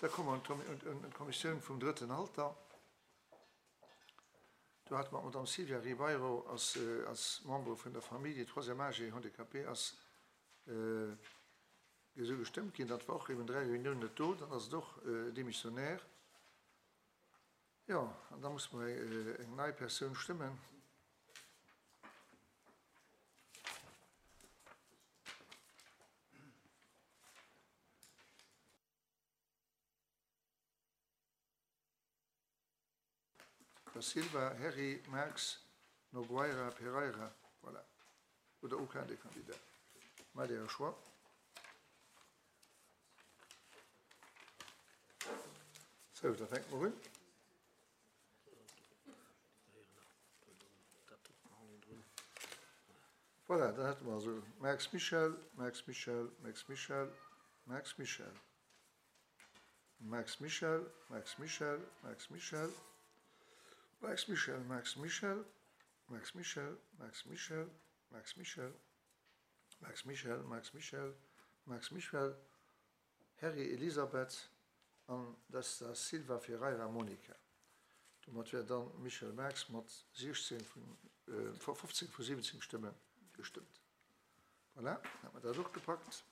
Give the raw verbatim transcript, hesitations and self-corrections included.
Da komme mer un d'Kommissioun vum Drëtten Alter. Do hate mer d'Madame Silvia Ribeiro als, als Membre vun der Famille troisième âge et handicapé ass esou gestëmmt ginn. Dat war och eben dräi Reuniounen net do, dann ass et och démissionnaire. Jo, an da musse mer eng nei Persoun stëmmen. Da Silva, Herry, Marx, Nogueira, Pereira, voilà. Oder aucun des candidats. Maacht Äre Choix. Sou, da fänke mer un. Voilà, dann hätte mer also Marx Michel, Marx Michel, Marx Michel, Marx Michel. Marx Michel, Marx Michel, Marx Michel, Marx Michel, Marx Michel, Marx Michel, Marx Michel, Marx Michel, Marx Michel, Marx Michel, Marx Michel, Herry Elisabeth an dass da Silva Ferreira Monica. Domat wär dann Michel Marx mat siechzéng vun, fofzéng vu siwwenzéng Stëmme gestëmmt. Voilà, dann hat mer dat och gepackt.